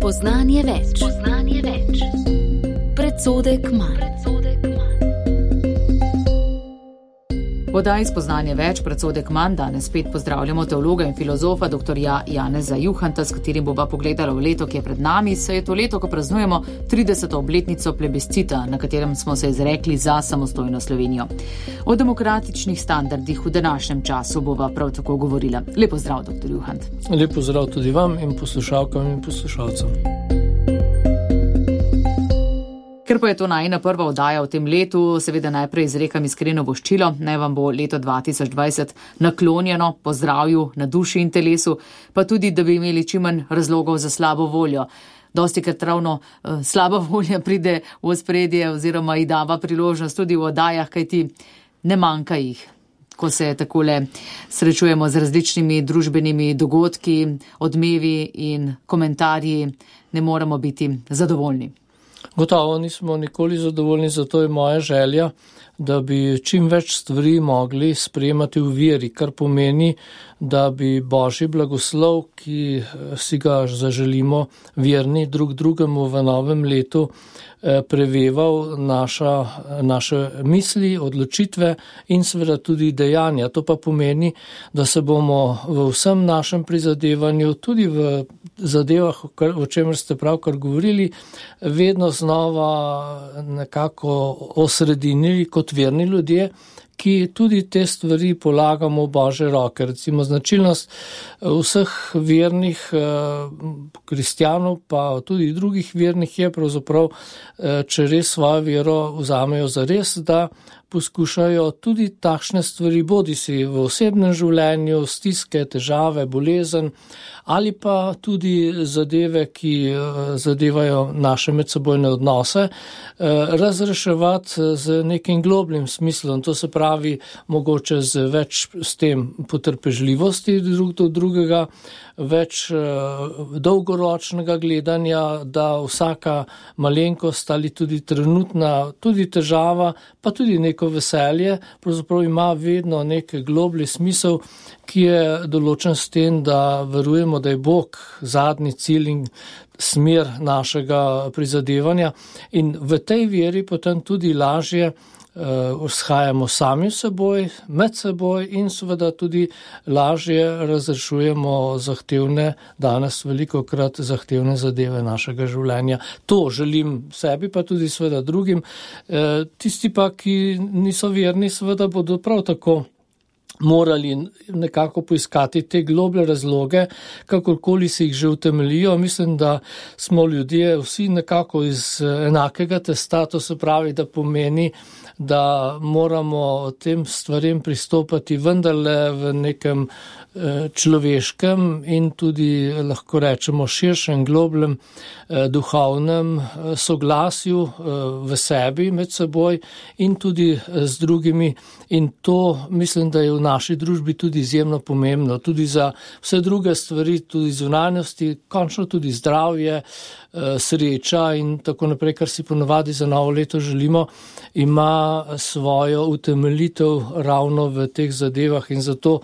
Spoznanje več. Predsodek manj. V oddaji Spoznanje več, predsodek manj, danes spet pozdravljamo teologa in filozofa dr. Janeza Juhanta, s katerim bova pogledala v leto, ki je pred nami. Saj je to leto, ko praznujemo 30. obletnico plebiscita, na katerem smo se izrekli za samostojno Slovenijo. O demokratičnih standardih v današnjem času bova prav tako govorila. Lep pozdrav, dr. Juhant. Lep pozdrav tudi vam in poslušalkam in poslušalcem. Ker pa je to najina prva oddaja v tem letu, seveda najprej izrekam iskreno voščilo, naj vam bo leto 2020 naklonjeno po zdravju na duši in telesu, pa tudi, da bi imeli čim manj razlogov za slabo voljo. Dostikrat ravno slaba volja pride v ospredje oziroma ji dava priložnost tudi v oddajah, kajti ne manjka jih. Ko se takole srečujemo z različnimi družbenimi dogodki, odmevi in komentarji, ne moremo biti zadovoljni. Gotovo nismo nikoli zadovoljni, zato je moja želja, da bi čim več stvari mogli sprejemati v veri, kar pomeni, da bi Božji blagoslov, ki si ga zaželimo verni drug drugemu v novem letu, preveval naše misli, odločitve in seveda tudi dejanja. To pa pomeni, da se bomo v vsem našem prizadevanju, tudi v zadevah, o čemer ste pravkar govorili, vedno znova nekako osredinili kot verni ljudje, ki tudi te stvari polagamo v Božje roke. Recimo značilnost vseh vernih kristjanov, pa tudi drugih vernih je pravzaprav, če res svojo vero vzamejo za res, da poskušajo tudi takšne stvari, bodisi v osebnem življenju, stiske, težave, bolezen, ali pa tudi zadeve, ki zadevajo naše medsebojne odnose, razreševati z nekim globljim smislom. To se pravi, mogoče z več s tem potrpežljivosti drug do drugega, več dolgoročnega gledanja, da vsaka malenkost ali tudi trenutna, tudi težava, pa tudi neko veselje, pravzaprav ima vedno nek globlji smisel, ki je določen s tem, da verujemo, da je Bog zadnji cilj in smer našega prizadevanja in v tej veri potem tudi lažje shajamo sami v seboj, med seboj in seveda tudi lažje razrešujemo zahtevne, danes velikokrat zahtevne zadeve našega življenja. To želim sebi, pa tudi seveda drugim. Tisti pa, ki niso verni, seveda bodo prav tako morali nekako poiskati te globlje razloge, kakorkoli se jih že utemeljijo. Mislim, da smo ljudje vsi nekako iz enakega testa, to se pravi, da pomeni, da moramo tem stvarem pristopati vendarle v nekem človeškem in tudi lahko rečemo širšem, globljem duhovnem soglasju v sebi med seboj in tudi z drugimi. In to mislim, da je v naši družbi tudi izjemno pomembno, tudi za vse druge stvari, tudi zunanjosti, končno tudi zdravje, sreča in tako naprej, kar si ponavadi za novo leto želimo, ima svojo utemeljitev ravno v teh zadevah in zato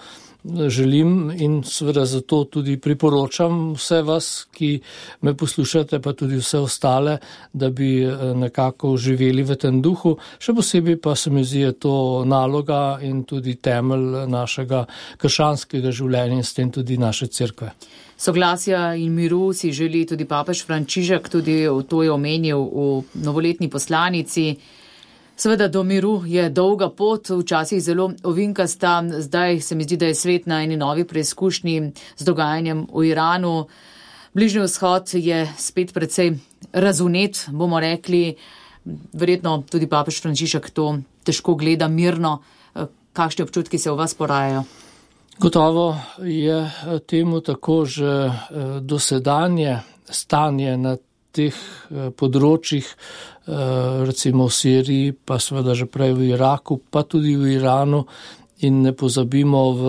želim in seveda zato tudi priporočam vse vas, ki me poslušate, pa tudi vse ostale, da bi nekako živeli v tem duhu. Še posebej pa se mi zdi to naloga in tudi temelj našega krščanskega življenja in s tem tudi naše cerkve. Soglasja in miru si želi tudi papež Frančišek, tudi to je omenil v novoletni poslanici. Seveda do miru je dolga pot, včasih zelo ovinkasta, zdaj se mi zdi, da je svet na eni novi preizkušnji z dogajanjem v Iranu. Bližnji vzhod je spet precej razunet, bomo rekli, verjetno tudi papež Frančišek to težko gleda mirno. Kakšni občutki se v vas porajajo? Gotovo je temu tako že dosedanje stanje na teh področjih, recimo v Siriji, pa seveda že prej v Iraku, pa tudi v Iranu in ne pozabimo v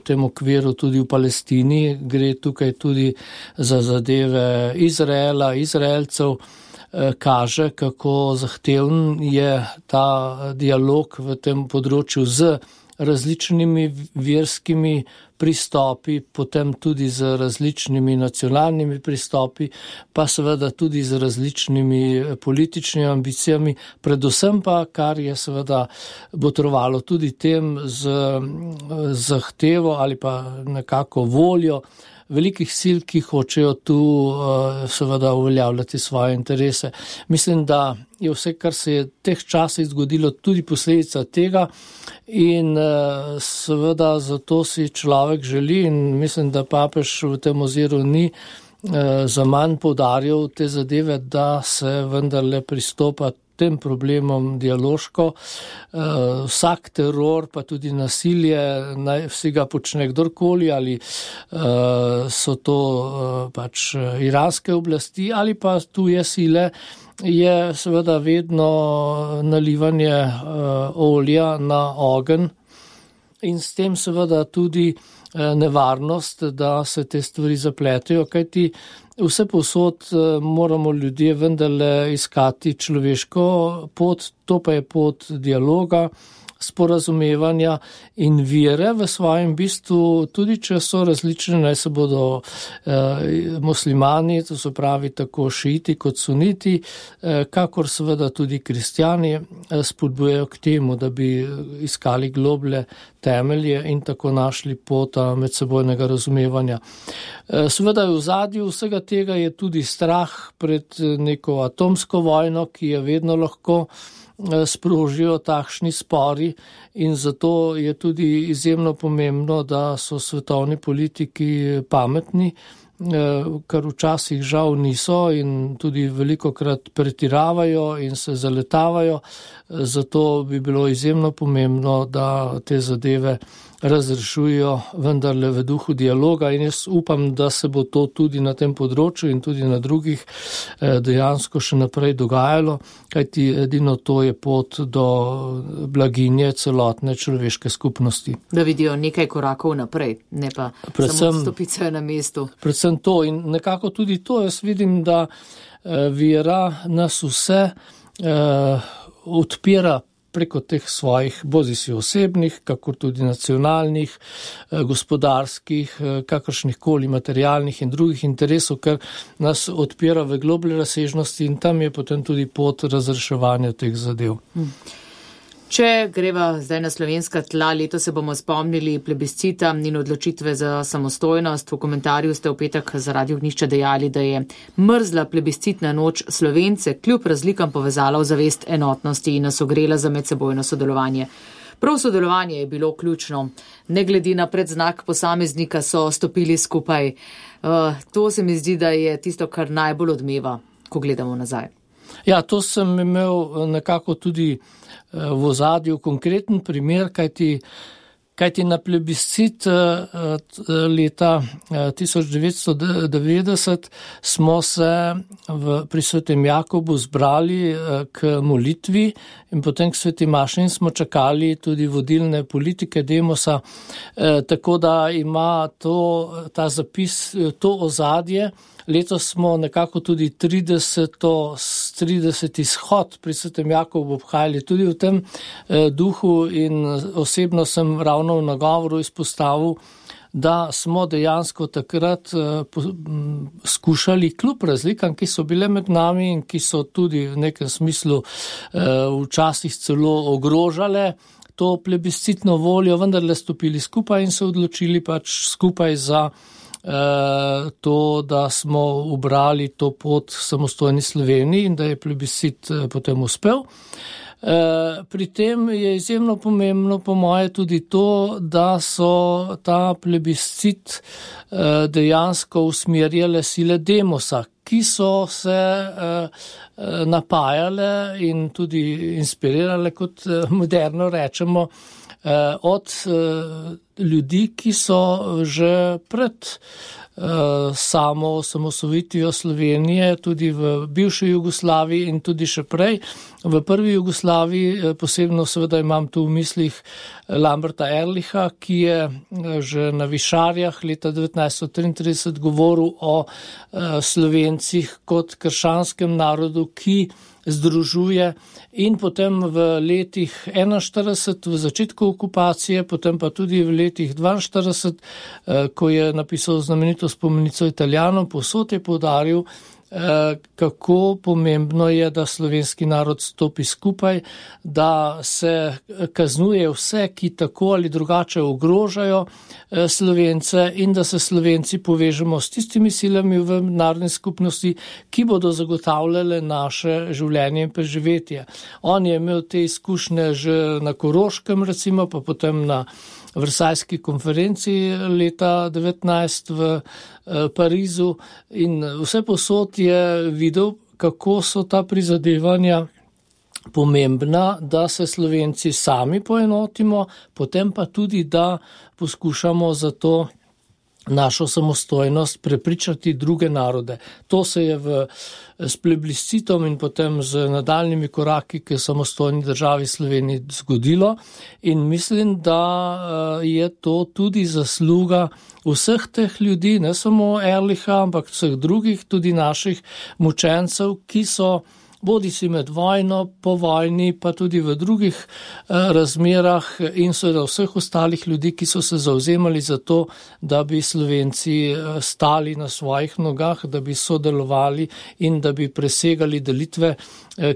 tem okviru tudi v Palestini, gre tukaj tudi za zadeve Izraela, Izraelcev, kaže, kako zahteven je ta dialog v tem področju z različnimi verskimi pristopi, potem tudi z različnimi nacionalnimi pristopi, pa seveda tudi z različnimi političnimi ambicijami, predvsem pa, kar je seveda botrovalo tudi tem z zahtevo ali pa nekako voljo velikih sil, ki hočejo tu seveda uveljavljati svoje interese. Mislim, da je vse, kar se je v teh časih zgodilo, tudi posledica tega in seveda zato si človek želi in mislim, da papež v tem oziru ni za manj poudarjal te zadeve, da se vendarle pristopa tem problemom dialoško. Vsak teror, pa tudi nasilje, naj vsi ga počne kdorkoli, ali so to pač iranske oblasti ali pa tuje sile, je seveda vedno nalivanje olja na ogenj in s tem seveda tudi nevarnost, da se te stvari zapletejo, kajti vse povsod moramo ljudje vendarle iskati človeško pot, to pa je pot dialoga, sporazumevanja in vere v svojem bistvu, tudi če so različne, naj se bodo muslimani, to se pravi tako šiiti kot suniti, kakor seveda tudi kristjani spodbujajo k temu, da bi iskali globlje temelje in tako našli pot medsebojnega razumevanja. Seveda v ozadju vsega tega je tudi strah pred neko atomsko vojno, ki je vedno lahko sprožijo takšni spori in zato je tudi izjemno pomembno, da so svetovni politiki pametni, kar včasih žal niso in tudi velikokrat pretiravajo in se zaletavajo. Zato bi bilo izjemno pomembno, da te zadeve razrešujejo vendarle v duhu dialoga in jaz upam, da se bo to tudi na tem področju in tudi na drugih dejansko še naprej dogajalo, kajti edino to je pot do blaginje celotne človeške skupnosti. Da vidijo nekaj korakov naprej, ne pa samo stopice na mestu. Predvsem to in nekako tudi to jaz vidim, da vera nas vse odpira preko teh svojih bodisi osebnih, kako tudi nacionalnih, gospodarskih, kakršnih koli materialnih in drugih interesov, ker nas odpira v globlje razsežnosti in tam je potem tudi pot razreševanja teh zadev. Če greva zdaj na slovenska tla, leto se bomo spomnili plebiscita in odločitve za samostojnost. V komentarju ste v petek za Radio Ognjišče dejali, da je mrzla plebiscitna noč Slovence kljub razlikam povezala v zavest enotnosti in nas ogrela za medsebojno sodelovanje. Prav sodelovanje je bilo ključno. Ne glede na predznak posameznika so stopili skupaj. To se mi zdi, da je tisto, kar najbolj odmeva, ko gledamo nazaj. Ja, to sem imel nekako tudi v ozadju konkreten primer, kajti na plebiscit leta 1990 smo se pri Svetem Jakobu zbrali k molitvi in potem k Sveti maši in smo čakali tudi vodilne politike Demosa, tako da ima ta zapis, to ozadje. Letos smo nekako tudi 30. izhod pri Svetem Jakobu obhajali tudi v tem duhu in osebno sem ravno v nagovoru izpostavil, da smo dejansko takrat skušali kljub razlikam, ki so bile med nami in ki so tudi v nekem smislu včasih celo ogrožale to plebiscitno voljo, vendarle stopili skupaj in se odločili pač skupaj za to, da smo ubrali to pot samostojni Sloveniji in da je plebiscit potem uspel. Pri tem je izjemno pomembno po moje tudi to, da so ta plebiscit dejansko usmerjale sile Demosa, ki so se napajale in tudi inspirirale, kot moderno rečemo, od ljudi, ki so že pred samo osamosvojitvijo Slovenije, tudi v bivši Jugoslaviji in tudi še prej. V prvi Jugoslaviji, posebno seveda imam tu v mislih Lamberta Ehrlicha, ki je že na Višarjah leta 1933 govoril o Slovencih kot krščanskem narodu, ki združuje in potem v letih 41 v začetku okupacije, potem pa tudi v letih 42, ko je napisal znamenito spomenico Italijanom, povsod je poudaril, kako pomembno je, da slovenski narod stopi skupaj, da se kaznuje vse, ki tako ali drugače ogrožajo Slovence in da se Slovenci povežemo s tistimi silami v narodni skupnosti, ki bodo zagotavljale naše življenje in preživetje. On je imel te izkušnje že na Koroškem, recimo, pa potem na Versajski konferenci leta 19 v Parizu in vse posod je videl, kako so ta prizadevanja pomembna, da se Slovenci sami poenotimo, potem pa tudi, da poskušamo za to našo samostojnost prepričati druge narode. To se je s plebiscitom in potem z nadaljnimi koraki k samostojni državi Sloveniji zgodilo in mislim, da je to tudi zasluga vseh teh ljudi, ne samo Ehrlicha, ampak vseh drugih, tudi naših mučencev, ki so bodi si med vojno, po vojni, pa tudi v drugih razmerah in seveda vseh ostalih ljudi, ki so se zavzemali za to, da bi Slovenci stali na svojih nogah, da bi sodelovali in da bi presegali delitve,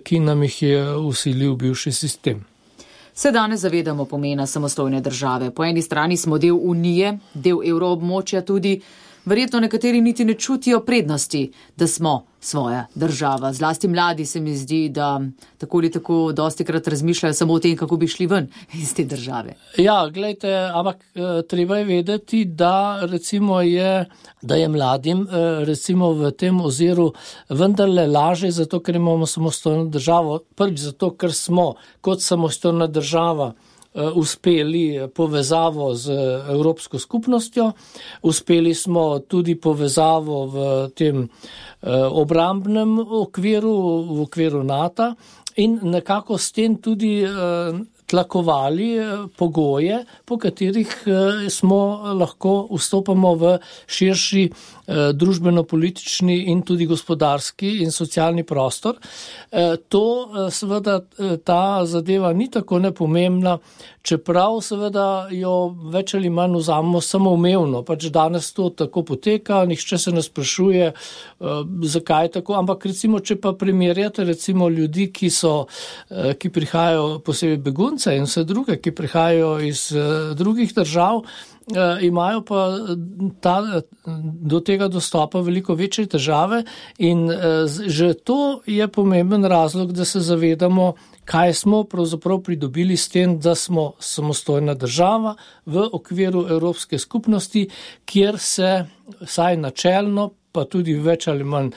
ki nam jih je vsilil bivši sistem. Se danes zavedamo pomena samostojne države. Po eni strani smo del Unije, del evroobmočja tudi. Verjetno nekateri niti ne čutijo prednosti, da smo svoja država. Zlasti mladi se mi zdi, da tako ali tako dostikrat razmišljajo samo o tem, kako bi šli ven iz te države. Ja, gledajte, ampak treba je vedeti, da recimo da je mladim recimo v tem oziru vendarle laže, zato ker imamo samostojno državo. Prvič zato, ker smo kot samostojna država uspeli povezavo z Evropsko skupnostjo, uspeli smo tudi povezavo v tem obrambnem okviru, v okviru NATO in nekako s tem tudi tlakovali pogoje, po katerih smo lahko vstopamo v širši družbeno-politični in tudi gospodarski in socialni prostor. To seveda ta zadeva ni tako nepomembna, čeprav seveda jo več ali manj vzamemo samoumevno. Pač danes to tako poteka, nihče se ne sprašuje, zakaj tako, ampak recimo, če pa primerjate recimo ljudi, ki prihajajo posebej begunce in vse druge, ki prihajajo iz drugih držav, imajo pa do tega dostopa veliko večje težave in že to je pomemben razlog, da se zavedamo, kaj smo pravzaprav pridobili s tem, da smo samostojna država v okviru Evropske skupnosti, kjer se vsaj načelno pa tudi več ali manj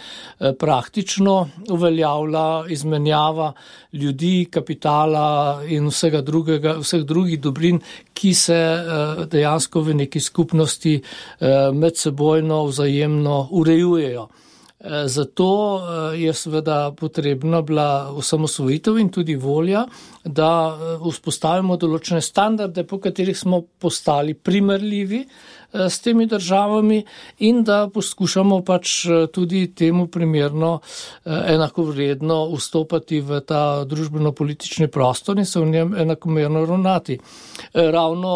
praktično uveljavlja izmenjava ljudi, kapitala in vseh drugih dobrin, ki se dejansko v neki skupnosti medsebojno vzajemno urejujejo. Zato je seveda potrebna bila osamosvojitev in tudi volja, da vzpostavimo določene standarde, po katerih smo postali primerljivi s temi državami in da poskušamo pač tudi temu primerno enakovredno vstopati v ta družbeno-politični prostor in se v njem enakomerno ravnati. Ravno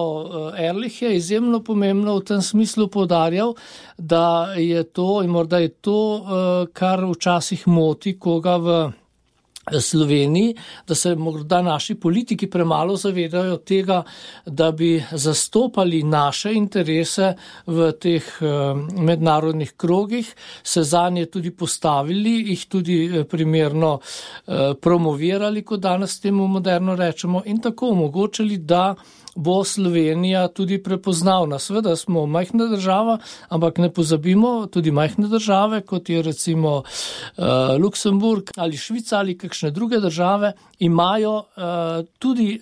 Ehrlich je izjemno pomembno v tem smislu poudarjal, da je to in morda je to, kar včasih moti koga v Sloveniji, da se morda naši politiki premalo zavedajo tega, da bi zastopali naše interese v teh mednarodnih krogih, se zanje tudi postavili, jih tudi primerno promovirali, kot danes temu moderno rečemo, in tako omogočili, da bo Slovenija tudi prepoznavna. Seveda smo majhna država, ampak ne pozabimo, tudi majhne države, kot je recimo Luksemburg ali Švica ali kakšne druge države, imajo tudi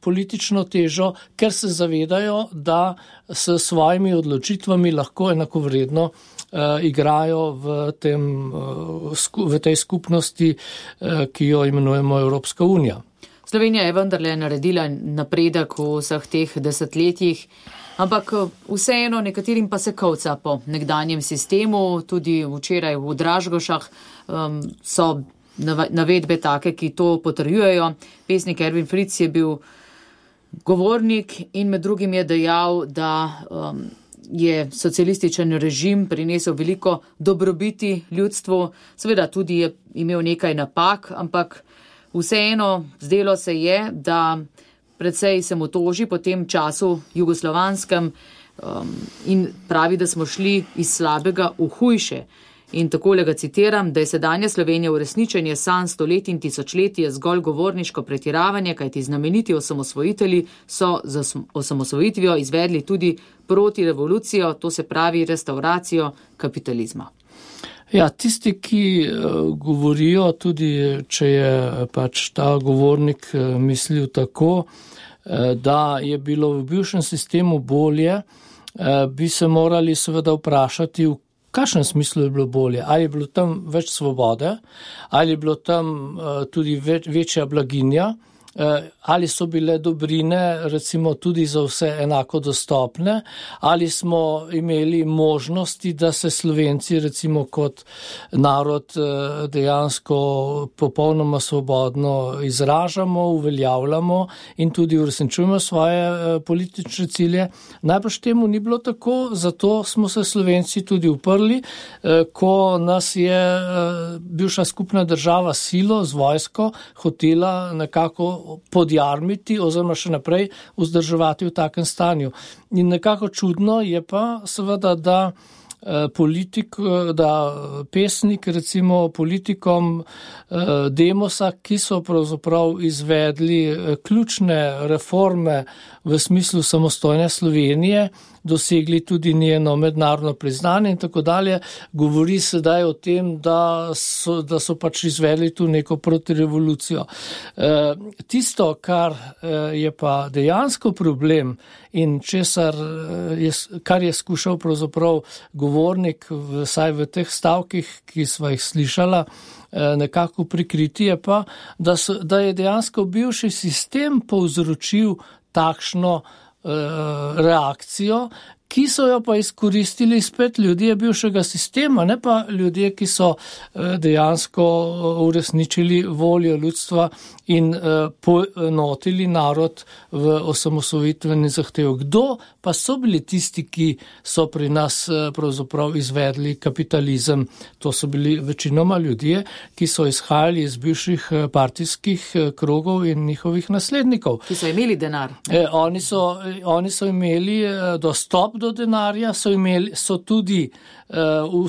politično težo, ker se zavedajo, da s svojimi odločitvami lahko enakovredno igrajo v tej skupnosti, ki jo imenujemo Evropska unija. Slovenija je vendarle naredila napredek v vseh teh desetletjih, ampak vseeno nekaterim pa se kovca po nekdanjem sistemu. Tudi včeraj v Dražgošah so navedbe take, ki to potrjujejo. Pesnik Ervin Fritz je bil govornik in med drugim je dejal, da je socialističen režim prinesel veliko dobrobiti ljudstvu, seveda tudi je imel nekaj napak, ampak vseeno zdelo se je, da precej se mu toži po tem času jugoslovanskem in pravi, da smo šli iz slabega v hujše. In takole ga citiram, da je sedanja Slovenija uresničenje sanj stoletij in tisočletij zgolj govorniško pretiravanje, kajti znameniti osamosvojitelji so z osamosvojitvijo izvedli tudi proti revolucijo, to se pravi restauracijo kapitalizma. Ja, tisti, ki govorijo, tudi če je pač ta govornik mislil tako, da je bilo v bivšem sistemu bolje, bi se morali seveda vprašati, v kakšnem smislu je bilo bolje? Ali je bilo tam več svobode, ali je bilo tam tudi večja blaginja, ali so bile dobrine recimo tudi za vse enako dostopne, ali smo imeli možnosti, da se Slovenci recimo kot narod dejansko popolnoma svobodno izražamo, uveljavljamo in tudi uresničujemo svoje politične cilje. Najbrž temu ni bilo tako, zato smo se Slovenci tudi uprli, ko nas je bivša skupna država silo z vojsko hotela nekako podjarmiti oziroma še naprej vzdrževati v takem stanju. In nekako čudno je pa seveda, da pesnik recimo politikom Demosa, ki so pravzaprav izvedli ključne reforme v smislu samostojne Slovenije, dosegli tudi njeno mednarodno priznanje in tako dalje, govori sedaj o tem, da so pač izvedli tu neko protirevolucijo. Tisto, kar je pa dejansko problem in kar je skušal pravzaprav govornik, vsaj v teh stavkih, ki sva jih slišala, nekako prikriti, je pa, da je dejansko bivši sistem povzročil takšno reakcijo, ki so jo pa izkoristili spet ljudje bivšega sistema, ne pa ljudje, ki so dejansko uresničili voljo ljudstva in poenotili narod v osamosvojitveni zahtev. Kdo pa so bili tisti, ki so pri nas pravzaprav izvedli kapitalizem? To so bili večinoma ljudje, ki so izhajali iz bivših partijskih krogov in njihovih naslednikov. Ki so imeli denar. Oni so imeli dostop do denarja, so tudi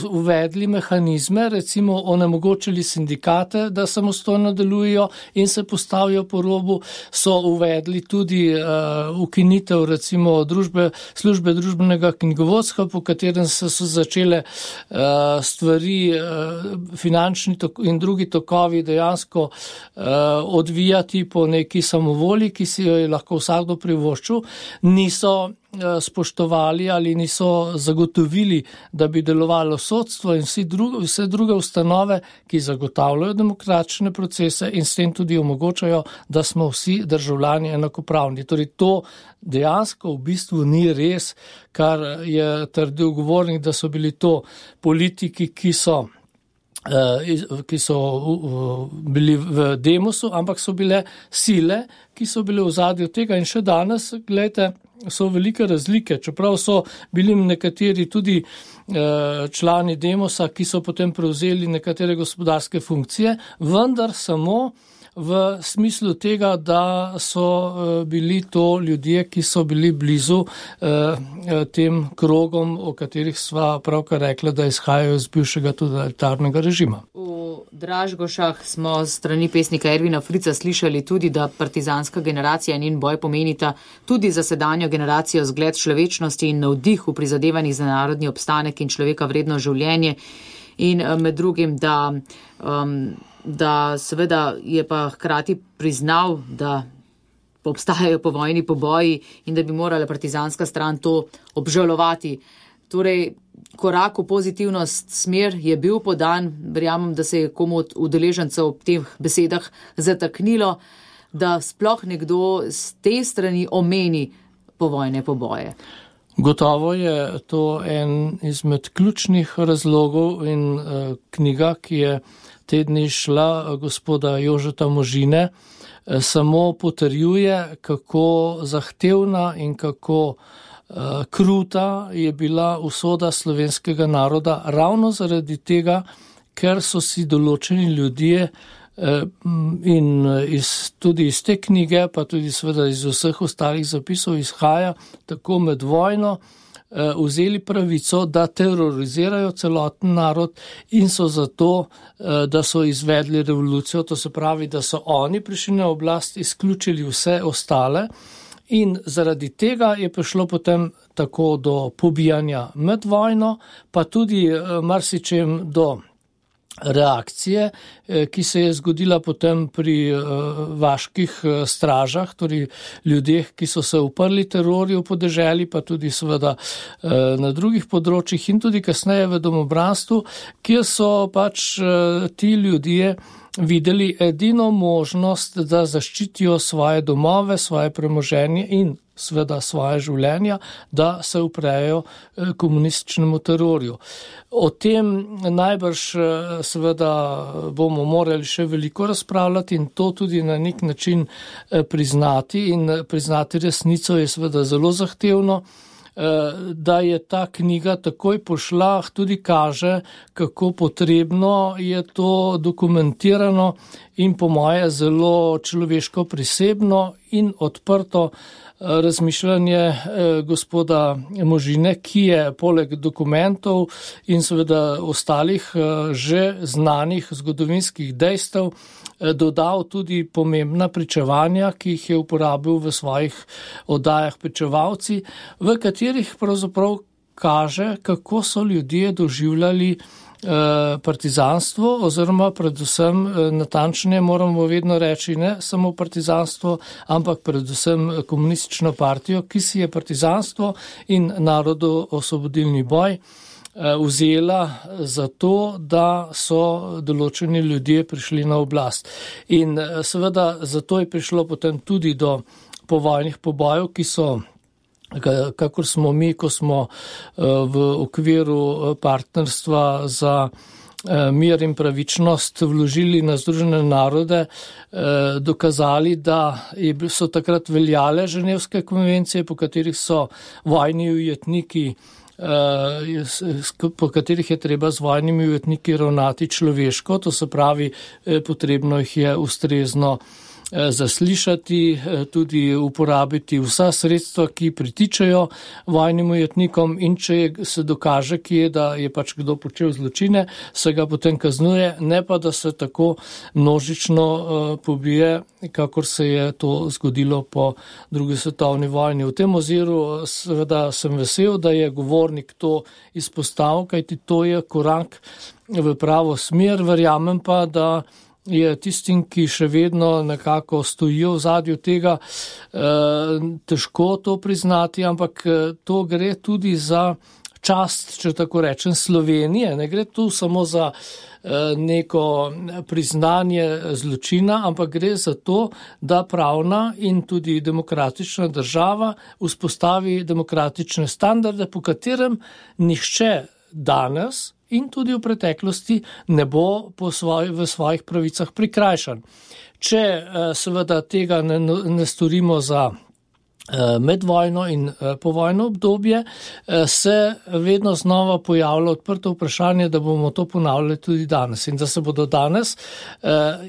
uvedli mehanizme, recimo onemogočili sindikate, da samostojno delujejo in se postavijo po robu, so uvedli tudi ukinitev recimo službe družbenega knjigovodstva, po katerem so začele stvari, finančni in drugi tokovi dejansko odvijati po neki samovolji, ki si jo je lahko vsakdo privoščil, niso spoštovali ali niso zagotovili, da bi delovalo sodstvo in vse druge ustanove, ki zagotavljajo demokratične procese in s tem tudi omogočajo, da smo vsi državljani enakopravni. Torej to dejansko v bistvu ni res, kar je trdil govornik, da so bili to politiki, ki so bili v Demosu, ampak so bile sile, ki so bile v ozadju tega in še danes, gledajte, so velike razlike, čeprav so bili nekateri tudi člani Demosa, ki so potem prevzeli nekatere gospodarske funkcije, vendar samo v smislu tega, da so bili to ljudje, ki so bili blizu tem krogom, o katerih sva pravkar rekla, da izhajajo iz bivšega totalitarnega režima. V Dražgošah smo strani pesnika Ervina Fritza slišali tudi, da partizanska generacija in njen boj pomenita tudi za sedanjo generacijo zgled človečnosti in navdih v prizadevanjih za narodni obstanek in človeka vredno življenje in med drugim, da seveda je pa hkrati priznal, da obstajajo povojni poboji in da bi morala partizanska stran to obžalovati. Torej, korak v pozitivno smer je bil podan, verjamem, da se je komu od udeležencev ob teh besedah zataknilo, da sploh nekdo z te strani omeni povojne poboje. Gotovo je to en izmed ključnih razlogov in knjiga, ki je te dni šla gospoda Jožeta Možine, samo potrjuje, kako zahtevna in kako kruta je bila usoda slovenskega naroda ravno zaradi tega, ker so si določeni ljudje in tudi iz te knjige, pa tudi seveda iz vseh ostalih zapisov izhaja tako med vojno, vzeli pravico, da terorizirajo celoten narod in so zato, da so izvedli revolucijo, to se pravi, da so oni prišli na oblast, izključili vse ostale in zaradi tega je prišlo potem tako do pobijanja med vojno, pa tudi marsičem do reakcije, ki se je zgodila potem pri vaških stražah, torej ljudeh, ki so se uprli terorju po deželi, pa tudi seveda na drugih področjih in tudi kasneje v domobranstvu, kjer so pač ti ljudje videli edino možnost, da zaščitijo svoje domove, svoje premoženje in seveda svoje življenja, da se uprejo komunističnemu terorju. O tem najbrž seveda bomo morali še veliko razpravljati in to tudi na nek način priznati in priznati resnico je seveda zelo zahtevno. Da je ta knjiga takoj pošla, tudi kaže, kako potrebno je to dokumentirano in po moje zelo človeško prisebno in odprto razmišljanje gospoda Možine, ki je poleg dokumentov in seveda ostalih že znanih zgodovinskih dejstev dodal tudi pomembna pričevanja, ki jih je uporabil v svojih oddajah Pričevalci, v katerih pravzaprav kaže, kako so ljudje doživljali partizanstvo oziroma predvsem natančneje moramo vedno reči ne samo partizanstvo, ampak predvsem komunistično partijo, ki si je partizanstvo in narodoosvobodilni boj vzela za to, da so določeni ljudje prišli na oblast. In seveda zato je prišlo potem tudi do povojnih pobojev, ki so kakor smo mi, ko smo v okviru partnerstva za mir in pravičnost vložili na Združene narode, dokazali, da so takrat veljale Ženevske konvencije, po katerih so vojni ujetniki, po katerih je treba z vojnimi ujetniki ravnati človeško, to se pravi, potrebno jih je ustrezno zaslišati, tudi uporabiti vsa sredstva, ki pritičajo vojnim ujetnikom in če se dokaže, da je pač kdo počel zločine, se ga potem kaznuje, ne pa da se tako množično pobije, kakor se je to zgodilo po drugi svetovni vojni. V tem oziru seveda sem vesel, da je govornik to izpostavil, kajti to je korak v pravo smer, verjamem pa, da je tistim, ki še vedno nekako stojijo v zadju tega, težko to priznati, ampak to gre tudi za čast, če tako rečem, Slovenije. Ne gre tu samo za neko priznanje zločina, ampak gre za to, da pravna in tudi demokratična država vzpostavi demokratične standarde, po katerem nihče danes in tudi v preteklosti ne bo v svojih pravicah prikrajšan. Če seveda tega ne storimo za medvojno in povojno obdobje, se vedno znova pojavlja odprto vprašanje, da bomo to ponavljali tudi danes in da se bodo danes,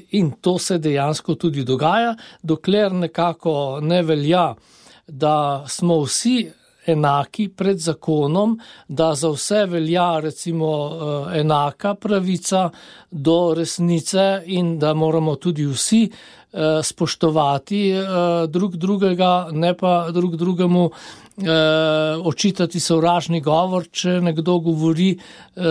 in to se dejansko tudi dogaja, dokler nekako ne velja, da smo vsi enaki pred zakonom, da za vse velja recimo enaka pravica do resnice in da moramo tudi vsi spoštovati drug drugega, ne pa drug drugemu očitati sovražni govor, če nekdo govori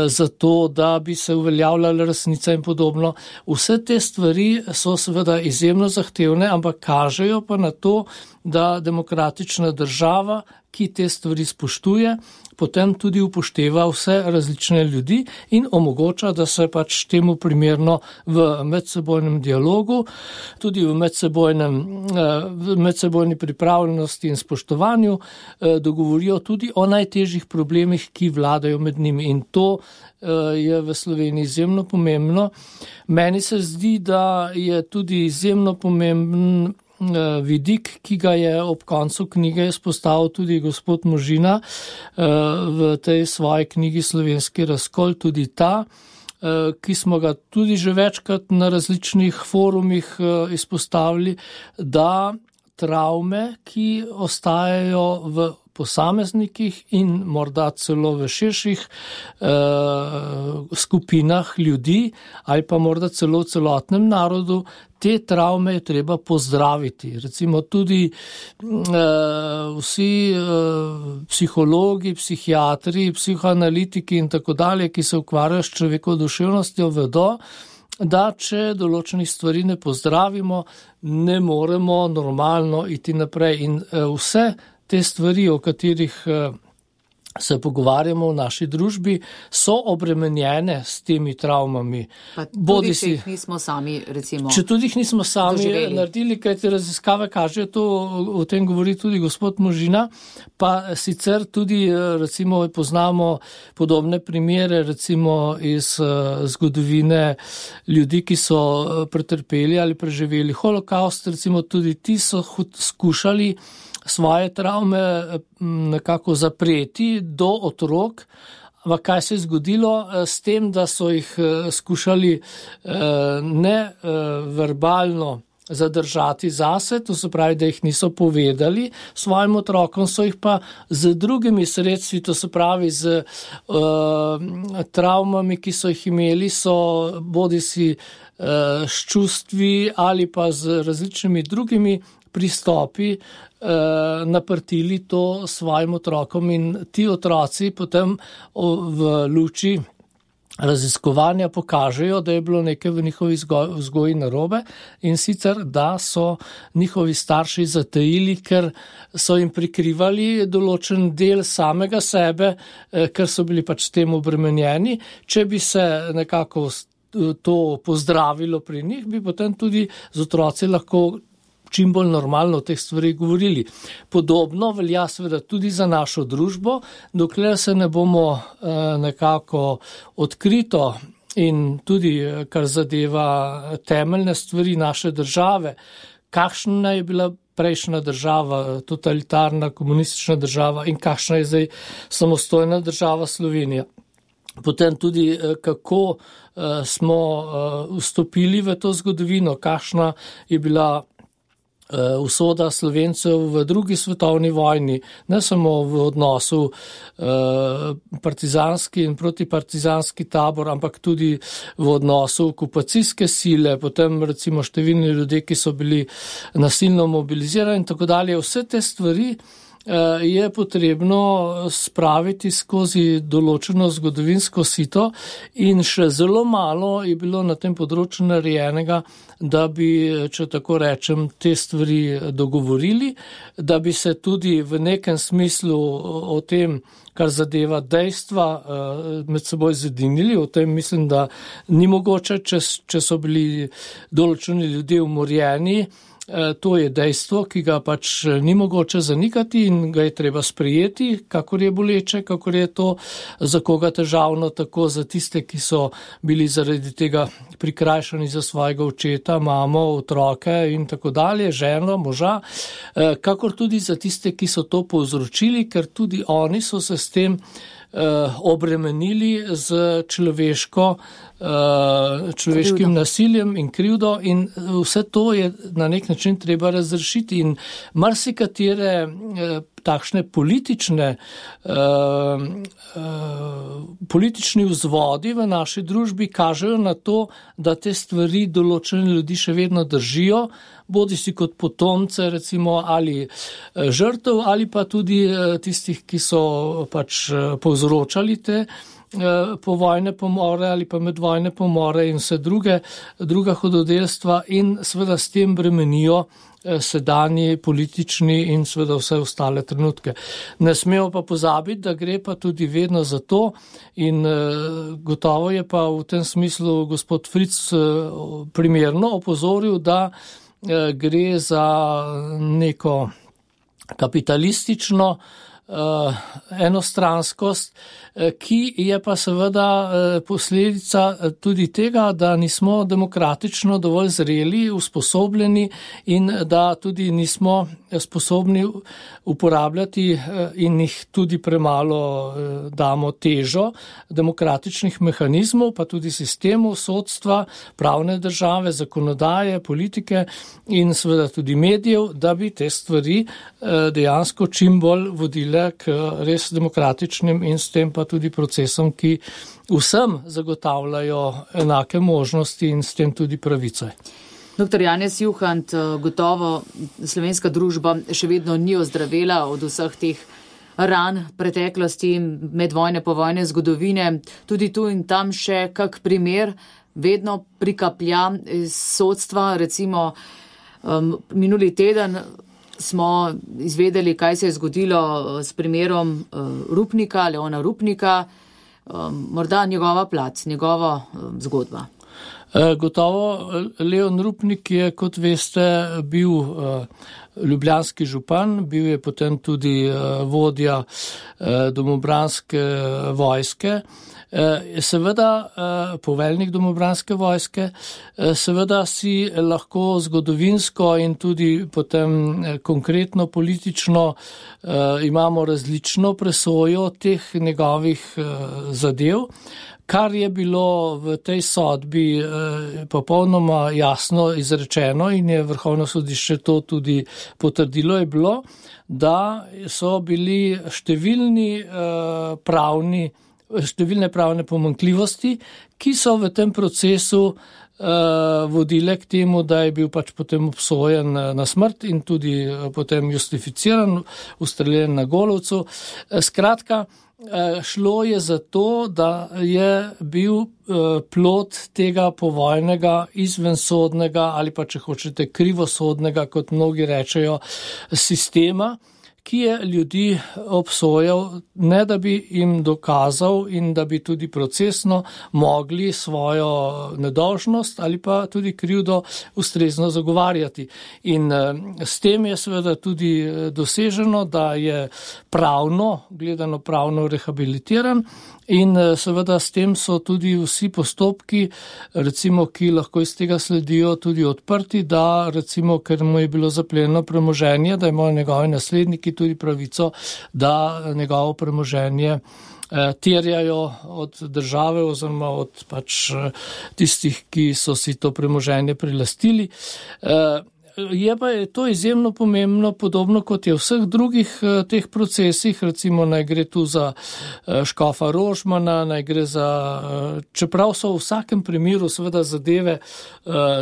zato, da bi se uveljavljala resnica in podobno. Vse te stvari so seveda izjemno zahtevne, ampak kažejo pa na to, da demokratična država, ki te stvari spoštuje, potem tudi upošteva vse različne ljudi in omogoča, da se pač temu primerno v medsebojnem dialogu, tudi v medsebojni pripravljenosti in spoštovanju dogovorijo tudi o najtežjih problemih, ki vladajo med njimi. In to je v Sloveniji izjemno pomembno. Meni se zdi, da je tudi izjemno pomemben vidik, ki ga je ob koncu knjige izpostavil tudi gospod Možina v tej svoji knjigi Slovenski razkol, tudi ta, ki smo ga tudi že večkrat na različnih forumih izpostavili, da travme, ki ostajajo v posameznikih in morda celo v širših skupinah ljudi ali pa morda celo v celotnem narodu, te travme je treba pozdraviti. Recimo tudi vsi psihologi, psihiatri, psihoanalitiki in tako dalje, ki se ukvarjajo s človekovo duševnostjo, vedo, da če določenih stvari ne pozdravimo, ne moremo normalno iti naprej. In vse te stvari, o katerih se pogovarjamo v naši družbi, so obremenjene s temi travmami. Pa tudi če jih nismo sami, recimo, če tudi jih nismo sami doživeli. Naredili, kaj te raziskave kažejo, to o tem govori tudi gospod Možina, pa sicer tudi, recimo, poznamo podobne primere, recimo iz zgodovine ljudi, ki so pretrpeli ali preživeli holokaust, recimo tudi ti so skušali svoje travme nekako zapreti do otrok. Ampak kaj se je zgodilo s tem, da so jih skušali ne verbalno zadržati zase, to se pravi, da jih niso povedali svojim otrokom, so jih pa z drugimi sredstvi, to se pravi z travmami, ki so jih imeli, so bodisi s čustvi ali pa z različnimi drugimi pristopi naprtili to svojim otrokom in ti otroci potem v luči raziskovanja pokažejo, da je bilo nekaj v njihovi vzgoji narobe in sicer, da so njihovi starši zatajili, ker so jim prikrivali določen del samega sebe, ker so bili pač s tem obremenjeni. Če bi se nekako to pozdravilo pri njih, bi potem tudi z otroci lahko čim bolj normalno o teh stvarih govorili. Podobno velja seveda tudi za našo družbo, dokler se ne bomo nekako odkrito in tudi, kar zadeva temeljne stvari naše države, kakšna je bila prejšnja država, totalitarna, komunistična država in kakšna je zdaj samostojna država Slovenija. Potem tudi, kako smo vstopili v to zgodovino, kakšna je bila usoda Slovencev v drugi svetovni vojni, ne samo v odnosu partizanski in protipartizanski tabor, ampak tudi v odnosu okupacijske sile, potem recimo številni ljudje, ki so bili nasilno mobilizirani in tako dalje. Vse te stvari je potrebno spraviti skozi določeno zgodovinsko sito in še zelo malo je bilo na tem področju narejenega, da bi, če tako rečem, te stvari dogovorili, da bi se tudi v nekem smislu o tem, kar zadeva dejstva, med seboj zedinili. O tem mislim, da ni mogoče, če so bili določeni ljudje umorjeni. To je dejstvo, ki ga pač ni mogoče zanikati in ga je treba sprejeti, kakor je boleče, kakor je to za koga težavno, tako za tiste, ki so bili zaradi tega prikrajšani za svojega očeta, mamo, otroke in tako dalje, ženo, moža, kakor tudi za tiste, ki so to povzročili, ker tudi oni so se s tem obremenili z človeškim nasiljem in krivdo in vse to je na nek način treba razrešiti in marsikatere takšne politični vzvodi v naši družbi kažejo na to, da te stvari določene ljudi še vedno držijo, bodisi kot potomce recimo ali žrtev ali pa tudi tistih, ki so pač povzročali te povojne pomore ali pa medvojne pomore in vse druga hudodelstva in seveda s tem bremenijo sedanji politični in seveda vse ostale trenutke. Ne smemo pa pozabiti, da gre pa tudi vedno za to in gotovo je pa v tem smislu gospod Fritz primerno opozoril, da gre za neko kapitalistično enostranskost, ki je pa seveda posledica tudi tega, da nismo demokratično dovolj zreli, usposobljeni in da tudi nismo sposobni uporabljati in jih tudi premalo damo težo demokratičnih mehanizmov, pa tudi sistemov sodstva, pravne države, zakonodaje, politike in seveda tudi medijev, da bi te stvari dejansko čim bolj vodile k res demokratičnim in s tem pa tudi procesom, ki vsem zagotavljajo enake možnosti in s tem tudi pravice. Dr. Janez Juhant, gotovo slovenska družba še vedno ni ozdravela od vseh teh ran preteklosti, medvojne, povojne zgodovine. Tudi tu in tam še kak primer vedno prikaplja iz sodstva. Recimo minuli teden smo izvedeli, kaj se je zgodilo s primerom Rupnika, Leona Rupnika, morda njegova plat, njegova zgodba. Gotovo Leon Rupnik je, kot veste, bil ljubljanski župan, bil je potem tudi vodja domobranske vojske, seveda poveljnik domobranske vojske, seveda si lahko zgodovinsko in tudi potem konkretno politično imamo različno presojo teh njegovih zadev. Kar je bilo v tej sodbi popolnoma jasno izrečeno in je Vrhovno sodišče to tudi potrdilo, je bilo, da so bili številne pravne pomanjkljivosti, ki so v tem procesu vodile k temu, da je bil pač potem obsojen na smrt in tudi potem justificiran, ustreljen na Golovcu. Skratka, šlo je za to, da je bil plod tega povojnega, izvensodnega ali pa, če hočete, krivosodnega, kot mnogi rečejo, sistema, ki je ljudi obsojal, ne da bi jim dokazal in da bi tudi procesno mogli svojo nedolžnost ali pa tudi krivdo ustrezno zagovarjati. In s tem je seveda tudi doseženo, da je gledano pravno rehabilitiran in seveda s tem so tudi vsi postopki, recimo, ki lahko iz tega sledijo, tudi odprti, da recimo, ker mu je bilo zaplenjeno premoženje, da imajo njegovi nasledniki tudi pravico, da njegovo premoženje terjajo od države oziroma od pač tistih, ki so si to premoženje prilastili. Je pa to izjemno pomembno, podobno kot je v vseh drugih teh procesih, recimo naj gre tu za škofa Rožmana, naj gre za, čeprav so v vsakem primeru seveda zadeve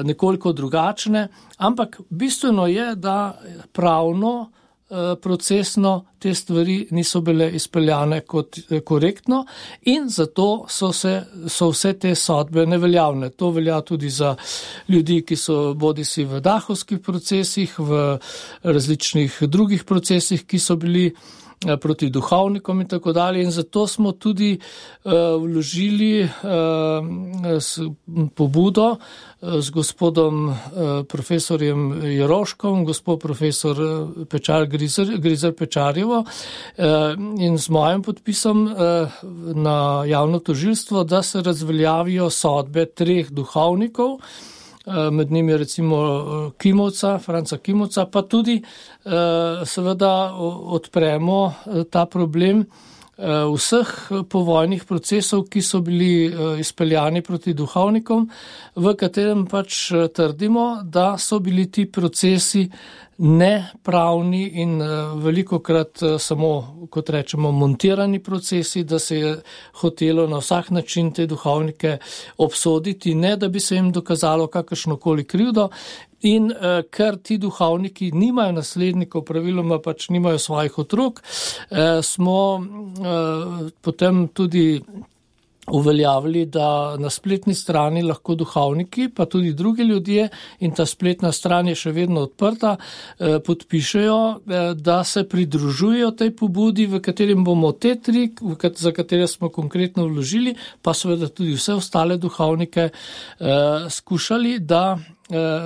nekoliko drugačne, ampak bistveno je, da pravno procesno te stvari niso bile izpeljane kot korektno in zato so vse te sodbe neveljavne. To velja tudi za ljudi, ki so bodisi v dahovskih procesih, v različnih drugih procesih, ki so bili proti duhovnikom in tako dalje. In zato smo tudi vložili pobudo z gospodom profesorjem Jeroškom, gospod profesor Grizer Pečarjevo in z mojim podpisom na javno tožilstvo, da se razveljavijo sodbe 3 duhovnikov, med njimi recimo Franca Kimovca, pa tudi seveda odpremo ta problem vseh povojnih procesov, ki so bili izpeljani proti duhovnikom, v katerem pač trdimo, da so bili ti procesi nepravni in velikokrat samo, kot rečemo, montirani procesi, da se je hotelo na vsak način te duhovnike obsoditi, ne da bi se jim dokazalo kakršnokoli krivdo. In ker ti duhovniki nimajo naslednikov, praviloma pač nimajo svojih otrok, smo potem tudi uveljavili, da na spletni strani lahko duhovniki, pa tudi drugi ljudje, in ta spletna stran je še vedno odprta, podpišejo, da se pridružujejo tej pobudi, v katerem bomo te tri, za katere smo konkretno vložili, pa seveda tudi vse ostale duhovnike, skušali, da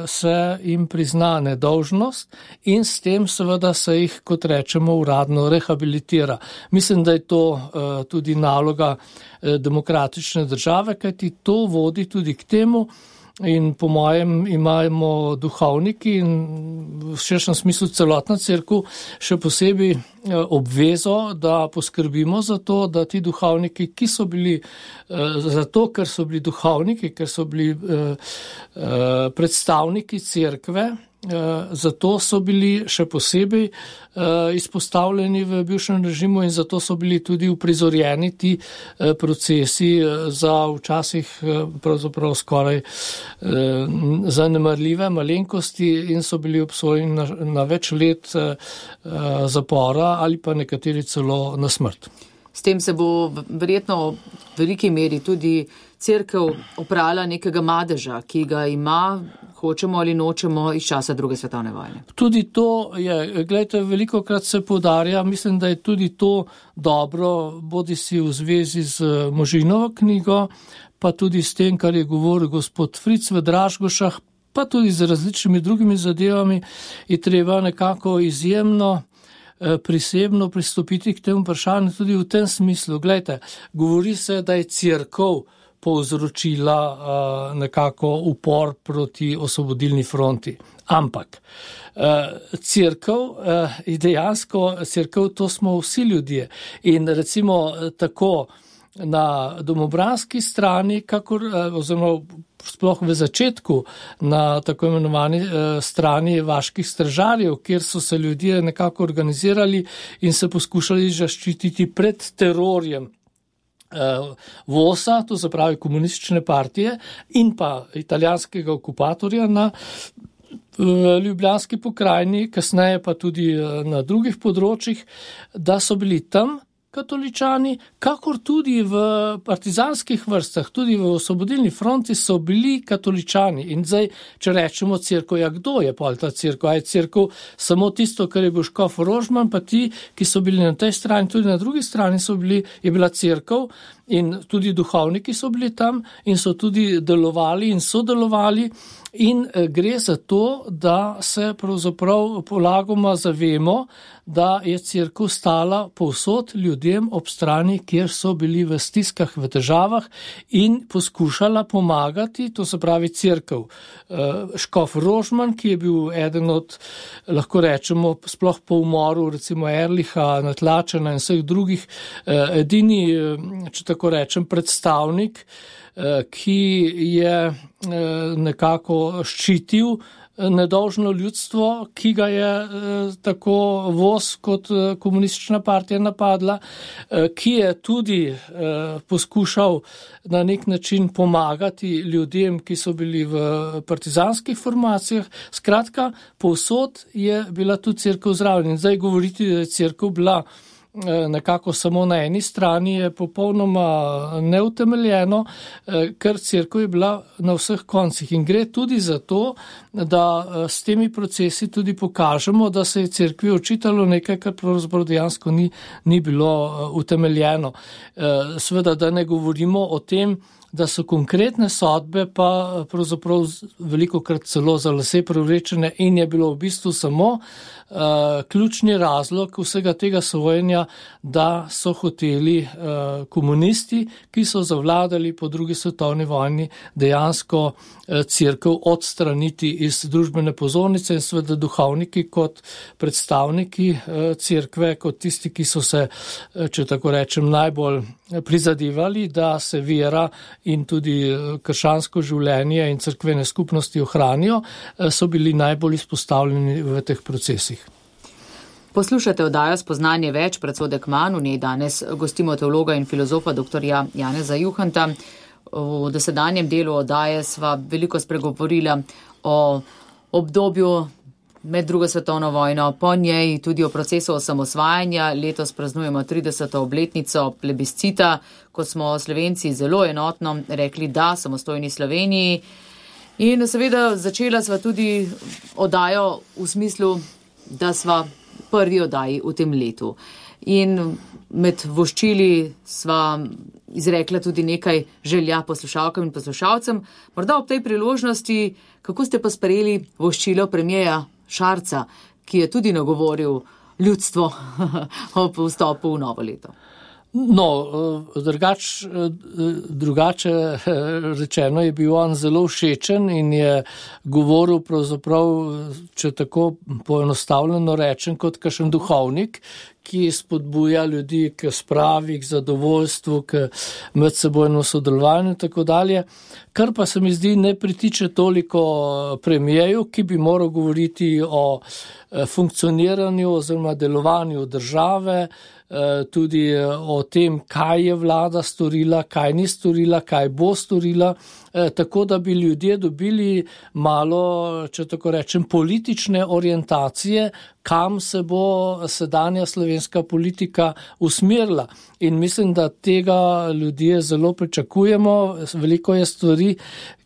se jim prizna nedolžnost in s tem seveda se jih, kot rečemo, uradno rehabilitira. Mislim, da je to tudi naloga demokratične države, kajti to vodi tudi k temu, in po mojem imamo duhovniki in v širšem smislu celotna cerkev še posebej obvezo, da poskrbimo za to, da ti duhovniki, ki so bili zato, ker so bili duhovniki, ker so bili predstavniki cerkve, zato so bili še posebej izpostavljeni v bivšem režimu in zato so bili tudi uprizorjeni ti procesi za včasih pravzaprav skoraj zanemarljive malenkosti in so bili obsojeni na več let zapora ali pa nekateri celo na smrt. S tem se bo verjetno v veliki meri tudi cerkev oprala nekega madeža, ki ga ima, hočemo ali nočemo, iz časa druge svetovne vojne. Tudi to je, gledajte, velikokrat se poudarja, mislim, da je tudi to dobro, bodi si v zvezi z Možinovo knjigo, pa tudi s tem, kar je govoril gospod Fric v Dražgošah, pa tudi z različnimi drugimi zadevami, je treba nekako izjemno prisebno pristopiti k temu vprašanju tudi v tem smislu. Glejte, govori se, da je cerkev povzročila nekako upor proti osvobodilni fronti. Ampak cerkev, dejansko cerkev, to smo vsi ljudje. In recimo tako na domobranski strani, kakor oziroma sploh v začetku na tako imenovani strani vaških stražarjev, kjer so se ljudje nekako organizirali in se poskušali zaščititi pred terorjem VOS-a, to se pravi komunistične partije, in pa italijanskega okupatorja na Ljubljanski pokrajini, kasneje pa tudi na drugih področjih, da so bili tam katoličani, kakor tudi v partizanskih vrstah, tudi v osvobodilni fronti so bili katoličani. In zdaj, če rečemo cerkev, ja, kdo je pol ta cerkev? A je cerkev samo tisto, kar je bil škof Rožman, pa ti, ki so bili na tej strani, tudi na drugi strani je bila cerkev in tudi duhovniki so bili tam in so tudi delovali in sodelovali. In gre za to, da se pravzaprav polagoma zavemo, da je cerkev stala povsod ljudem ob strani, kjer so bili v stiskah, v težavah in poskušala pomagati, to se pravi cerkev. Škof Rožman, ki je bil eden od, lahko rečemo, sploh po umoru, recimo Erliha, Natlačena in vseh drugih, edini, če tako rečem, predstavnik, ki je nekako ščitil nedolžno ljudstvo, ki ga je tako VOS kot komunistična partija napadla, ki je tudi poskušal na nek način pomagati ljudem, ki so bili v partizanskih formacijah. Skratka, povsod je bila tudi cerkev zraven. In zdaj govoriti, da je cerkev bila nekako samo na eni strani, je popolnoma neutemeljeno, ker cerkev je bila na vseh koncih. In gre tudi za to, da s temi procesi tudi pokažemo, da se je cerkvi očitalo nekaj, kar pravzaprav dejansko ni bilo utemeljeno. Seveda, da ne govorimo o tem, da so konkretne sodbe pa pravzaprav velikokrat celo za lase privlečene in je bilo v bistvu samo ključni razlog vsega tega sojenja, da so hoteli komunisti, ki so zavladali po drugi svetovni vojni, dejansko cerkev odstraniti iz družbene pozornice in seveda duhovniki kot predstavniki cerkve, kot tisti, ki so se, če tako rečem, najbolj prizadevali, da se vera in tudi krščansko življenje in cerkvene skupnosti ohranijo, so bili najbolj izpostavljeni v teh procesih. Poslušate oddajo Spoznanje več, predsodek manj, v njej danes gostimo teologa in filozofa dr. Janeza Juhanta. V dosedanjem delu oddaje sva veliko spregovorila o obdobju med drugo svetovno vojno, po njej tudi o procesu osamosvajanja. Letos praznujemo 30. obletnico plebiscita, ko smo Slovenci zelo enotno rekli da samostojni Sloveniji. In seveda začela sva tudi oddajo v smislu, da sva prvi oddaji v tem letu. In med voščili sva izrekla tudi nekaj želja poslušalkam in poslušalcem. Morda ob tej priložnosti, kako ste pa sprejeli voščilo premierja Šarca, ki je tudi nagovoril ljudstvo ob vstopu v novo leto? No, drugače rečeno je bil on zelo všečen in je govoril pravzaprav, če tako poenostavljeno rečem, kot kakšen duhovnik, ki spodbuja ljudi k spravi, k zadovoljstvu, k medsebojnemu sodelovanju in tako dalje, kar pa se mi zdi ne pritiče toliko premierju, ki bi moral govoriti o funkcioniranju oziroma delovanju države, tudi o tem, kaj je vlada storila, kaj ni storila, kaj bo storila, tako da bi ljudje dobili malo, če tako rečem, politične orientacije, kam se bo sedanja slovenska politika usmerila. In mislim, da tega ljudje zelo pričakujemo. Veliko je stvari,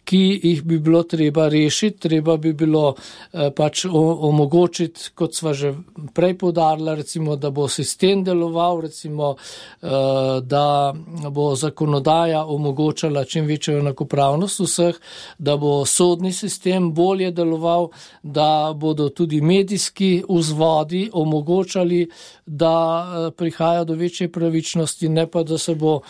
ki jih bi bilo treba rešiti, treba bi bilo pač omogočiti, kot sva že prej poudarila, recimo, da bo sistem deloval, recimo, da bo zakonodaja omogočala čim večjo enakopravnost vseh, da bo sodni sistem bolje deloval, da bodo tudi medijski vzvodi omogočali, da prihaja do večje pravičnosti, ne pa da se bo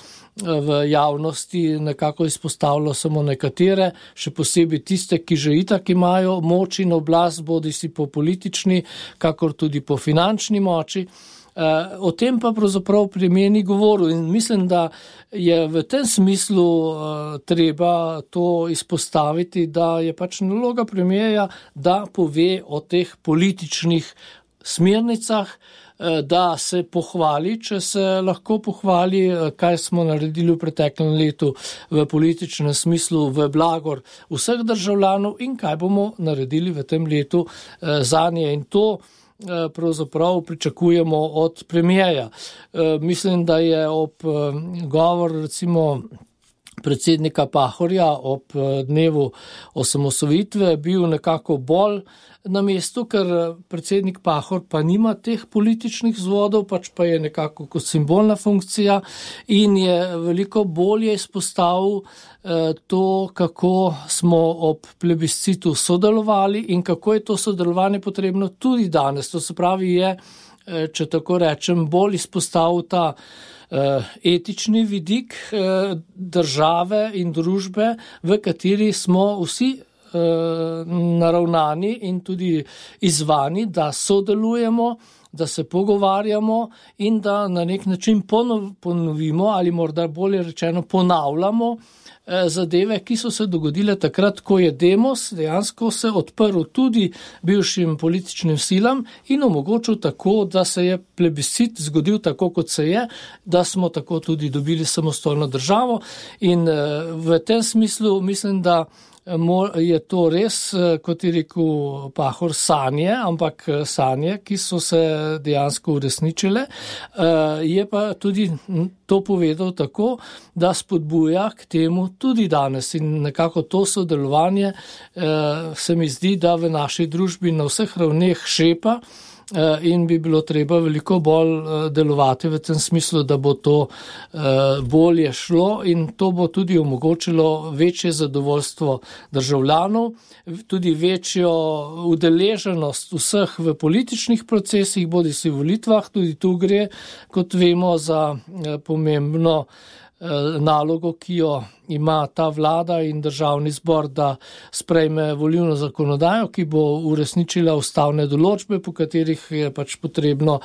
v javnosti nekako izpostavilo samo nekatere, še posebej tiste, ki že itak imajo moč in oblast, bodi si po politični, kakor tudi po finančni moči. O tem pa pravzaprav premier ni govoril in mislim, da je v tem smislu treba to izpostaviti, da je pač naloga premierja, da pove o teh političnih smernicah, da se pohvali, če se lahko pohvali, kaj smo naredili v preteklem letu v političnem smislu v blagor vseh državljanov in kaj bomo naredili v tem letu zanje. In to pravzaprav pričakujemo od premierja. Mislim, da je ob govor recimo predsednika Pahorja ob dnevu osamosvojitve bil nekako bolj na mestu, ker predsednik Pahor pa nima teh političnih vzvodov, pač pa je nekako kot simbolna funkcija in je veliko bolje izpostavil to, kako smo ob plebiscitu sodelovali in kako je to sodelovanje potrebno tudi danes. To se pravi je, če tako rečem, bolj izpostavil ta etični vidik države in družbe, v kateri smo vsi naravnani in tudi izzvani, da sodelujemo, da se pogovarjamo in da na nek način ponovimo ali morda bolje rečeno ponavljamo zadeve, ki so se dogodile takrat, ko je Demos dejansko se odprl tudi bivšim političnim silam in omogočil tako, da se je plebiscit zgodil tako, kot se je, da smo tako tudi dobili samostojno državo in v tem smislu mislim, da je to res, kot je rekel Pahor, sanje, ampak sanje, ki so se dejansko uresničile. Je pa tudi to povedal tako, da spodbuja k temu tudi danes in nekako to sodelovanje se mi zdi, da v naši družbi na vseh ravneh šepa in bi bilo treba veliko bolj delovati v tem smislu, da bo to bolje šlo in to bo tudi omogočilo večje zadovoljstvo državljanov, tudi večjo udeleženost vseh v političnih procesih, bodi si v volitvah, tudi tu gre, kot vemo, za pomembno nalogo, ki jo ima ta vlada in državni zbor, da sprejme volilno zakonodajo, ki bo uresničila ustavne določbe, po katerih je pač potrebno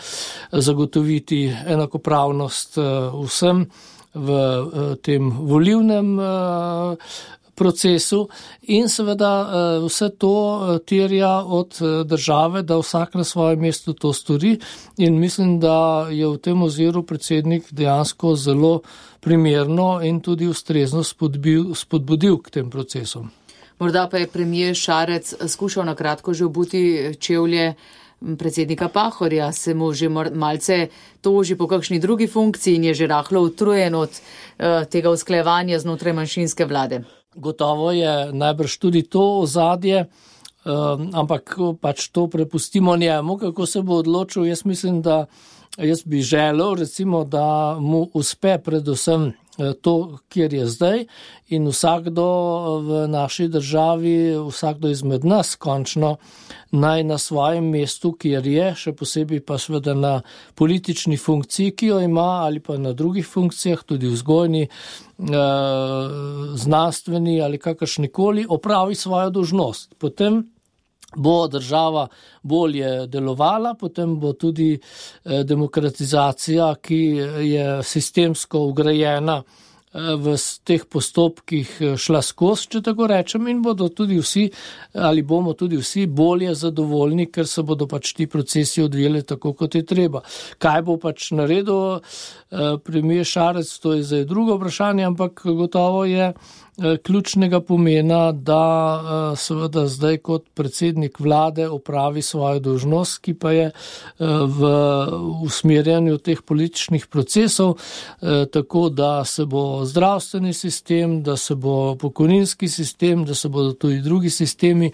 zagotoviti enakopravnost vsem v tem volilnem procesu in seveda vse to terja od države, da vsak na svojem mestu to stori in mislim, da je v tem oziru predsednik dejansko zelo primerno in tudi ustrezno spodbudil k tem procesom. Morda pa je premier Šarec skušal na kratko že obuti čevlje predsednika Pahorja, se mu že malce toži po kakšni drugi funkciji in je že rahlo utrujen od tega usklajevanja znotraj manjšinske vlade. Gotovo je najbrž tudi to ozadje, ampak pač to prepustimo njemu, kako se bo odločil. Jaz mislim, da jaz bi želel, recimo, da mu uspe predvsem to, kjer je zdaj in vsakdo v naši državi, vsakdo izmed nas končno naj na svojem mestu, kjer je, še posebej pa seveda na politični funkciji, ki jo ima, ali pa na drugih funkcijah, tudi vzgojni, znanstveni ali kakršnikoli, opravi svojo dolžnost. Potem bo država bolje delovala, potem bo tudi demokratizacija, ki je sistemsko ugrajena v teh postopkih šla skozi, če tako rečem, in bodo tudi vsi, ali bomo tudi vsi bolje zadovoljni, ker se bodo pač ti procesi odvijali tako, kot je treba. Kaj bo pač naredil premier Šarec, to je zdaj drugo vprašanje, ampak gotovo je ključnega pomena, da seveda zdaj kot predsednik vlade opravi svojo dolžnost, ki pa je v usmerjanju teh političnih procesov, tako da se bo zdravstveni sistem, da se bo pokojninski sistem, da se bodo tudi drugi sistemi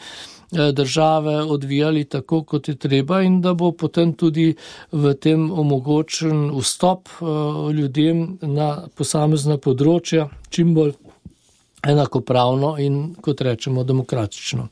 države odvijali tako, kot je treba in da bo potem tudi v tem omogočen vstop ljudem na posamezna področja čim bolj enakopravno in, kot rečemo, demokratično.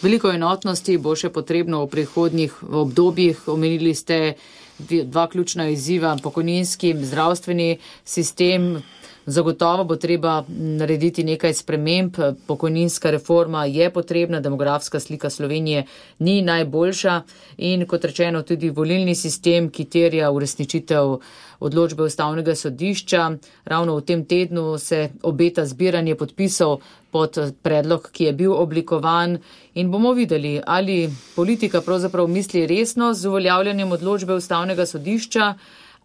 Veliko enotnosti bo še potrebno v prihodnjih obdobjih. Omenili ste dva ključna izziva, pokojninski, zdravstveni sistem. Zagotovo bo treba narediti nekaj sprememb. Pokojninska reforma je potrebna, demografska slika Slovenije ni najboljša in, kot rečeno, tudi volilni sistem, ki terja uresničitev odločbe Ustavnega sodišča. Ravno v tem tednu se obeta zbiranje podpisov pod predlog, ki je bil oblikovan in bomo videli, ali politika pravzaprav misli resno z uveljavljanjem odločbe Ustavnega sodišča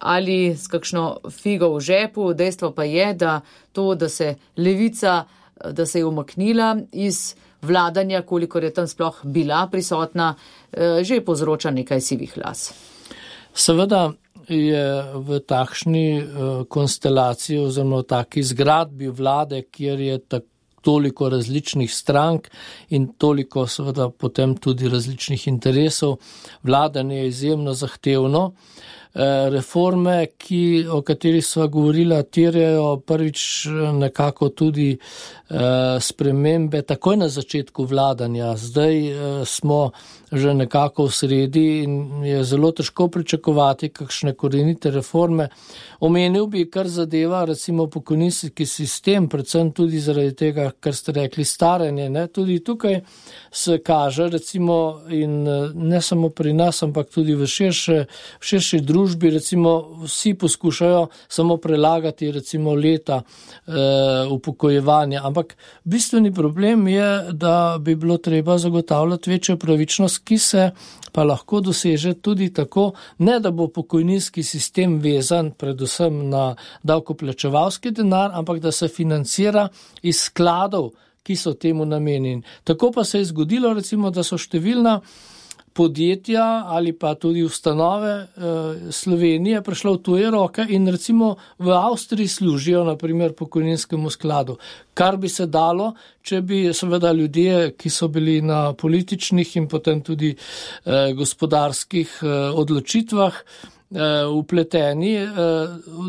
ali s kakšno figo v žepu. Dejstvo pa je, da to, da se Levica, da se je umaknila iz vladanja, kolikor je tam sploh bila prisotna, že povzroča nekaj sivih las. Seveda je v takšni konstelaciji oziroma v taki zgradbi vlade, kjer je toliko različnih strank in toliko seveda potem tudi različnih interesov, vladanje je izjemno zahtevno. Reforme, o katerih sva govorila, terjajo prvič nekako tudi spremembe takoj na začetku vladanja. Zdaj smo že nekako v sredi in je zelo težko pričakovati kakšne korenite reforme. Omenil bi, kar zadeva recimo pokojninski sistem, predvsem tudi zaradi tega, kar ste rekli, staranje. Ne? Tudi tukaj se kaže recimo in ne samo pri nas, ampak tudi v širši družbi, recimo vsi poskušajo samo prelagati recimo leta upokojevanja, ampak bistveni problem je, da bi bilo treba zagotavljati večjo pravičnost, ki se pa lahko doseže tudi tako, ne da bo pokojninski sistem vezan predvsem na davkoplačevalski denar, ampak da se financira iz skladov, ki so temu namenjeni. Tako pa se je zgodilo recimo, da so številna podjetja ali pa tudi ustanove Slovenije prišla v tuje roke in recimo v Avstriji služijo naprimer pokojninskemu skladu. Kar bi se dalo, če bi seveda ljudje, ki so bili na političnih in potem tudi gospodarskih odločitvah vpleteni,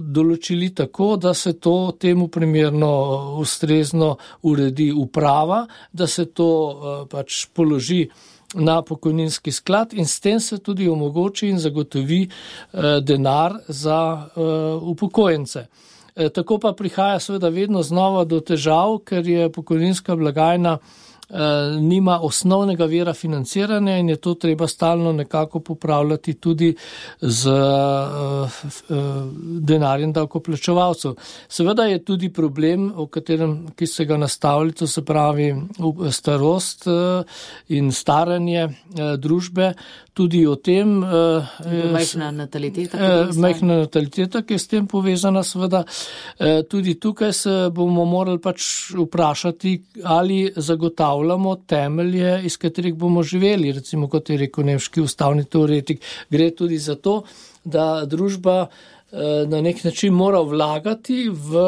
določili tako, da se to temu primerno ustrezno uredi uprava, da se to pač položi na pokojninski sklad in s tem se tudi omogoči in zagotovi denar za upokojence. Tako pa prihaja seveda vedno znova do težav, ker je pokojninska blagajna nima osnovnega vira financiranja in je to treba stalno nekako popravljati tudi z denarjem davkoplačevalcev. Seveda je tudi problem, o katerem, ki se ga nastavlja, to se pravi starost in staranje družbe, tudi o tem. Majhna nataliteta, ki je s tem povezana, seveda. Tudi tukaj se bomo morali pač vprašati, ali zagotavljati postavljamo temelje, iz katerih bomo živeli. Recimo, kot je rekel nemški ustavni teoretik, gre tudi za to, da družba na nek način mora vlagati v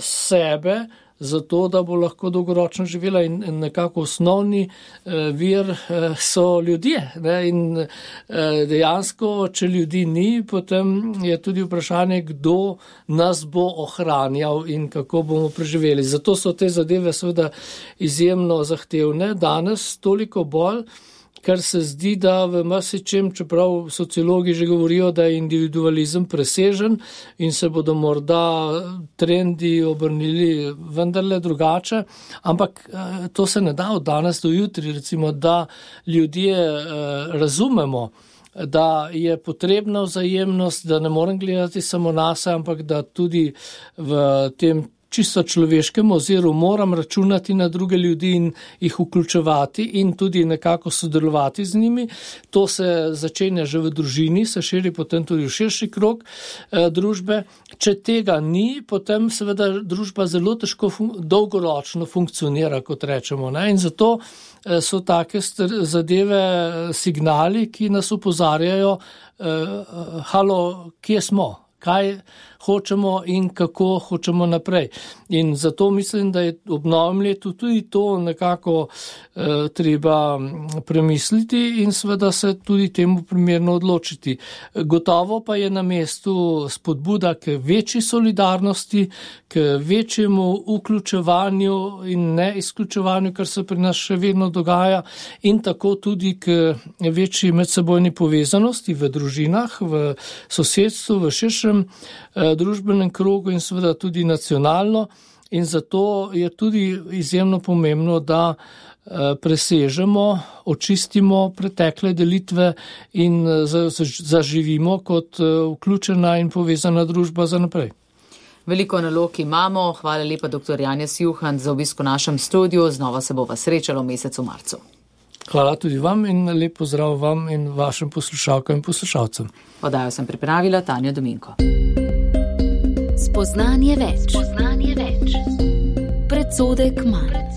sebe, zato da bo lahko dolgoročno živela, in nekako osnovni vir so ljudje. Ne? In dejansko, če ljudi ni, potem je tudi vprašanje, kdo nas bo ohranjal in kako bomo preživeli. Zato so te zadeve seveda izjemno zahtevne. Danes toliko bolj, ker se zdi, da v marsičem, čeprav sociologi že govorijo, da je individualizem presežen in se bodo morda trendi obrnili vendarle drugače, ampak to se ne da od danes do jutri, recimo, da ljudje razumemo, da je potrebna vzajemnost, da ne morem gledati samo nase, ampak da tudi v tem čisto človeškem oziru moram računati na druge ljudi in jih vključevati in tudi nekako sodelovati z njimi. To se začenja že v družini, se širi potem tudi v širši krog družbe. Če tega ni, potem seveda družba zelo težko dolgoročno funkcionira, kot rečemo. Ne? In zato so take zadeve signali, ki nas opozarjajo, halo, kje smo? Kaj hočemo in kako hočemo naprej. In zato mislim, da je ob novem letu tudi to nekako treba premisliti in seveda se tudi temu primerno odločiti. Gotovo pa je na mestu spodbuda k večji solidarnosti, k večjemu vključevanju in ne izključevanju, kar se pri nas še vedno dogaja, in tako tudi k večji medsebojni povezanosti v družinah, v sosedstvu, v širšem družbenem krogu in seveda tudi nacionalno. In zato je tudi izjemno pomembno, da presežemo, očistimo pretekle delitve in zaživimo kot vključena in povezana družba za naprej. Veliko nalog imamo. Hvala lepa, dr. Janez Juhant, za obisk v našem studiu. Znova se bova srečala v mesecu marcu. Hvala tudi vam in lep pozdrav vam in vašim poslušalkam in poslušalcem. Oddajo sem pripravila Tanja Dominko. Spoznanje več. Predsodek manj.